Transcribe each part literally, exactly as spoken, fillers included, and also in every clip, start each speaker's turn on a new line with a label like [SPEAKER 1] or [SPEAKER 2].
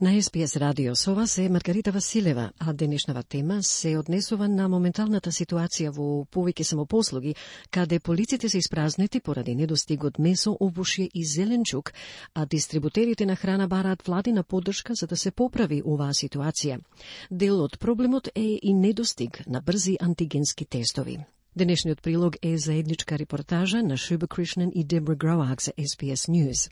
[SPEAKER 1] На Ес Би Ес радио со вас е Маргарита Василева, а денешната тема се однесува на моменталната ситуација во повеќе самопослуги, каде полиците се испразнети поради недостигот месо, овошје и зеленчук, а дистрибутерите на храна бараат владина поддршка за да се поправи оваа ситуација. Дел од проблемот е и недостиг на брзи антигенски тестови. Денешниот прилог е заедничка репортажа на Шуба Кришнан и Дебра Гроак за Ес Би Ес News.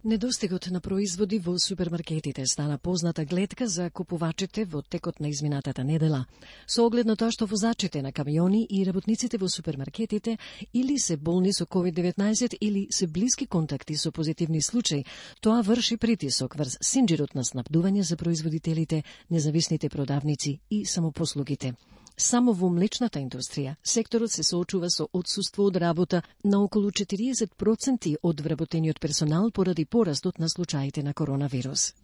[SPEAKER 1] Недостигот на производи во супермаркетите стана позната гледка за купувачите во текот на изминатата недела. Со оглед на тоа што возачите на камиони и работниците во супермаркетите или се болни со ковид деветнаесет или се блиски контакти со позитивни случаи, тоа врши притисок врз синџирот на снабдување за производителите, независните продавници и самопослугите. Само во млечната индустрија, секторот се соочува со отсуство од работа на околу четириесет проценти од вработениот персонал поради порастот на случаите на коронавирус.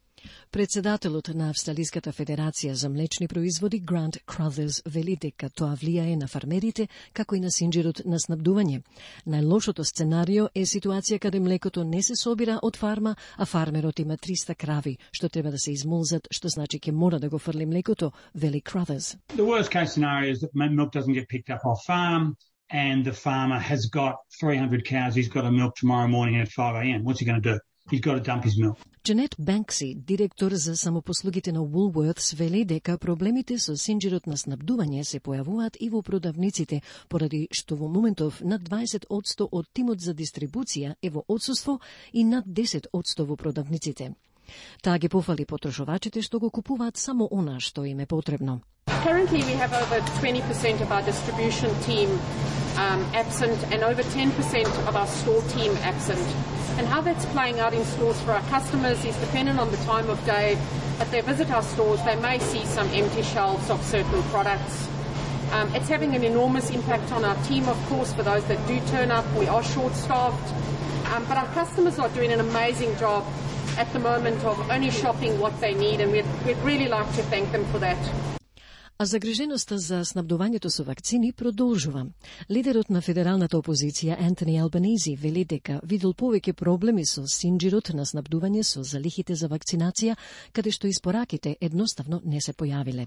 [SPEAKER 1] Председателот на Австралиската федерација за млечни производи Грант Кроthers вели дека тоа влијае на фармерите, како и на синџирот на снабдување. Најлошото сценарио е ситуација каде млекото не се собира од фарма, а фармерот има триста крави, што треба да се измолзат, што значи ќе мора да го фрли млекото, вели Кроthers.
[SPEAKER 2] The worst case scenario is that milk doesn't get picked up off farm and the farmer has got three hundred cows he's got to milk tomorrow morning at five a m What's he going to do? He's got to dump his milk.
[SPEAKER 1] Джанет Бенкси, директор за самопослугите на Woolworths, вели дека проблемите со синџирот на снабдување се појавуваат и во продавниците, поради што во моментов над дваесет одсто од тимот за дистрибуција е во отсуство и над десет одсто во продавниците. Таа ги пофали потрошувачите што го купуваат само она што им е потребно.
[SPEAKER 3] Currently we have over twenty percent of our distribution team um, absent and over ten percent of our store team absent. And how that's playing out in stores for our customers is dependent on the time of day. If they visit our stores, they may see some empty shelves of certain products. Um, it's having an enormous impact on our team, of course, for those that do turn up. We are short-staffed. Um, but our customers are doing an amazing job at the moment of only shopping what they need, and we'd, we'd really like to thank them for that.
[SPEAKER 1] А загриженоста за снабдувањето со вакцини продолжува. Лидерот на федералната опозиција Ентони Албанези вели дека видел повеќе проблеми со синџирот на снабдување со залихите за вакцинација, каде што испораките едноставно не се појавиле.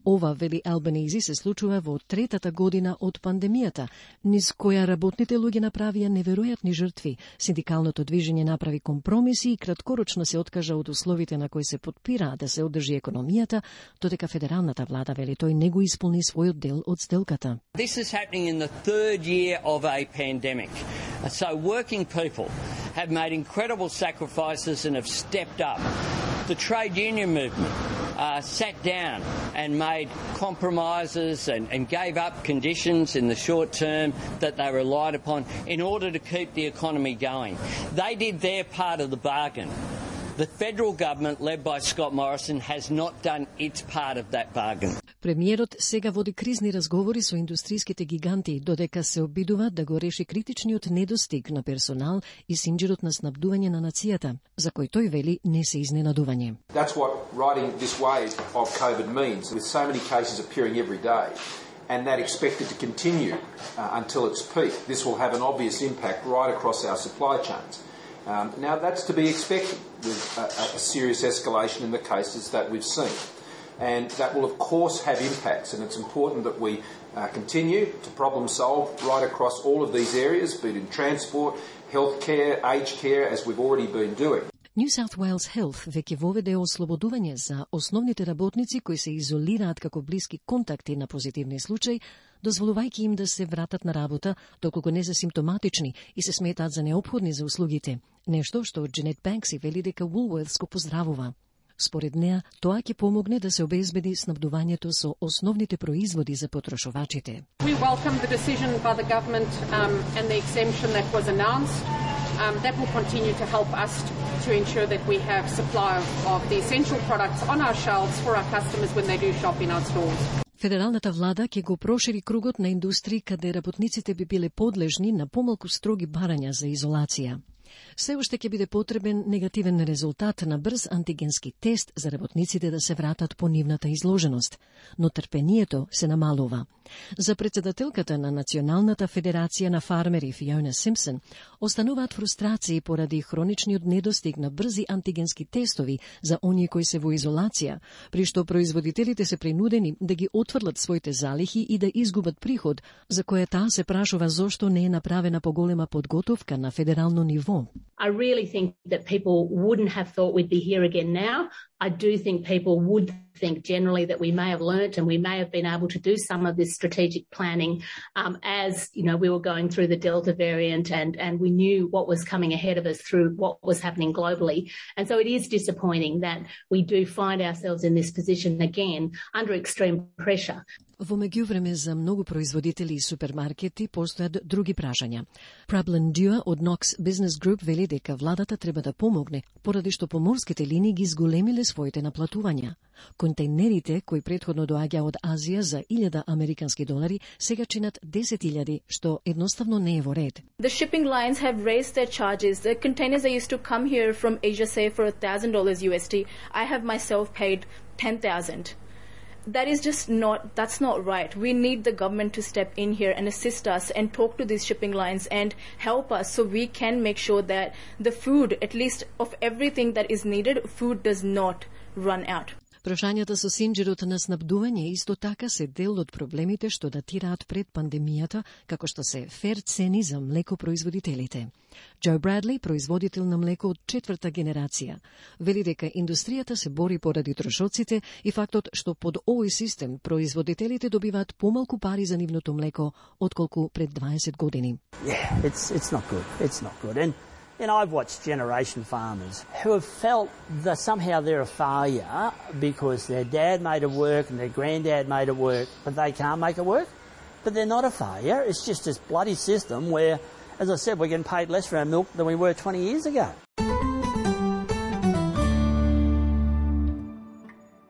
[SPEAKER 1] Ова, вели Албанези, се случува во третата година од пандемијата, низ која работните луѓе направија неверојатни жртви. Синдикалното движење направи компромиси и краткорочно се откажа од условите на кои се подпира да се одржи економијата, додека федералната влада вели тој не го исполни својот дел од сделката.
[SPEAKER 4] This is happening in the third year of a pandemic. So working people have made incredible sacrifices and have stepped up. The trade union movement uh, sat down and made compromises and, and gave up conditions in the short term that they relied upon in order to keep the economy going. They did their part of the bargain. The federal government, led by Scott Morrison, has not done its part of that bargain.
[SPEAKER 1] Премиерот сега води кризни разговори со индустриските гиганти, додека се обидува да го реши критичниот недостиг на персонал и синџирот на снабдување на нацијата, за кој тој вели не се изненадување.
[SPEAKER 5] That's what riding this wave of COVID means, with so many cases appearing every day, and that expected to continue uh, until its peak. This will have an obvious impact right across our supply chains. Um, now, that's to be expected with a, a serious escalation in the cases that we've seen. And that will, of course, have impacts, and it's important that we uh, continue to problem solve right across all of these areas, be it in transport, healthcare, aged care, as we've already been doing.
[SPEAKER 1] New South Wales Health веќе воведе ослободување за основните работници кои се изолираат како блиски контакти на позитивни случаи, дозволувајќи им да се вратат на работа доколку не се симптоматични и се сметаат за неопходни за услугите. Нешто што Джанет Бенкси вели дека Woolworths го поздравува. Според неа, тоа ќе помогне да се обезбеди снабдувањето со основните производи за потрошувачите.
[SPEAKER 3] We welcome the decision by the government um, and the exemption that was announced. Um, that will continue to help us to, to ensure that we have supply of, of the essential products on our shelves for our customers when they do shop in our stores.
[SPEAKER 1] Федералната влада ќе го прошири кругот на индустрии каде работниците би биле подлежни на помалку строги барања за изолација. Се уште ќе биде потребен негативен резултат на брз антигенски тест за работниците да се вратат по нивната изложеност, но трпението се намалува. За председателката на Националната федерација на фармери Фиона Симпсон остануваат фрустрации поради хроничниот недостиг на брзи антигенски тестови за оние кои се во изолација, при што производителите се принудени да ги отфрлат своите залихи и да изгубат приход, за која таа се прашува зошто не е направена поголема подготовка на федерално ниво.
[SPEAKER 6] I really think that people wouldn't have thought we'd be here again now. I do think people would think generally that we may have learnt and we may have been able to do some of this strategic planning um, as, you know, we were going through the Delta variant and, and we knew what was coming ahead of us through what was happening globally. And so it is disappointing that we do find ourselves in this position again under extreme pressure.
[SPEAKER 1] Во меѓувреме за многу производители и супермаркети постојат други прашања. Prablan Dua од Knox Business Group вели дека владата треба да помогне, поради што поморските линии ги зголемиле своите наплатувања. Контейнерите кои претходно доаѓа од Азија за илјада американски долари сега чинат десет илјади, што едноставно не е во ред.
[SPEAKER 7] The shipping lines have raised their charges. The containers that used to come here from Asia, say for one thousand dollars U S D, I have myself paid ten thousand. That is just not, that's not right. We need the government to step in here and assist us and talk to these shipping lines and help us so we can make sure that the food, at least of everything that is needed, food does not run out.
[SPEAKER 1] Прошањата со синџирот на снабдување исто така се дел од проблемите што датираат пред пандемијата, како што се фер цени за млекопроизводителите. Џо Брадли, производител на млеко од четврта генерација, вели дека индустријата се бори поради трошоците и фактот што под овој систем производителите добиваат помалку пари за нивното млеко отколку пред дваесет години.
[SPEAKER 8] Yeah, it's it's not good. It's not good. And And I've watched generation farmers who have felt that somehow they're a failure because their dad made it work and their granddad made it work, but they can't make it work. But they're not a failure. It's just this bloody system where, as I said, we're getting paid less for our milk than we were twenty years ago.